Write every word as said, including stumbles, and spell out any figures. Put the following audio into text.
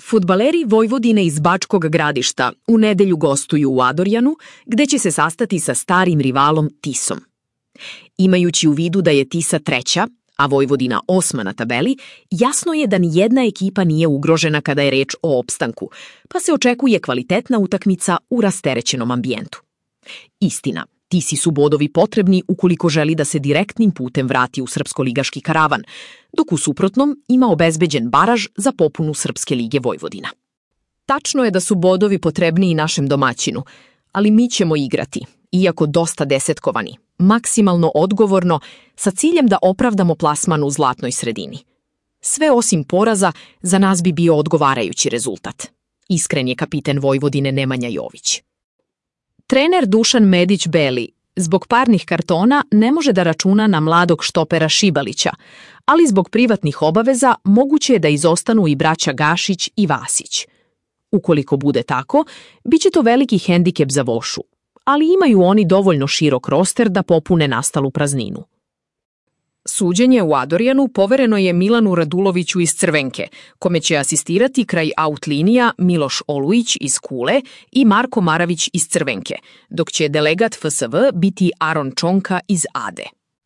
Fudbaleri Vojvodine iz Bačkog Gradišta u nedelju gostuju u Adorjanu, gde će se sastati sa starim rivalom Tisom. Imajući u vidu da je Tisa treća, a Vojvodina osma na tabeli, jasno je da ni jedna ekipa nije ugrožena kada je reč o opstanku, pa se očekuje kvalitetna utakmica u rasterećenom ambijentu. Istina, Tisi su bodovi potrebni ukoliko želi da se direktnim putem vrati u srpsko-ligaški karavan, dok u suprotnom ima obezbeđen baraž za popunu Srpske lige Vojvodina. Tačno je da su bodovi potrebni i našem domaćinu, ali mi ćemo igrati, iako dosta desetkovani, maksimalno odgovorno, sa ciljem da opravdamo plasman u zlatnoj sredini. Sve osim poraza, za nas bi bio odgovarajući rezultat. Iskren je kapiten Vojvodine Nemanja Jović. Trener Dušan Medić-Beli zbog parnih kartona ne može da računa na mladog štopera Šibalića, ali zbog privatnih obaveza moguće je da izostanu i braća Gašić i Vasić. Ukoliko bude tako, bit će to veliki hendikep za Vošu, ali imaju oni dovoljno širok roster da popune nastalu prazninu. Suđenje u Adorjanu povereno je Milanu Raduloviću iz Crvenke, kome će asistirati kraj out linija Miloš Olujić iz Kule i Marko Maravić iz Crvenke, dok će delegat F S V biti Aron Čonka iz Ade.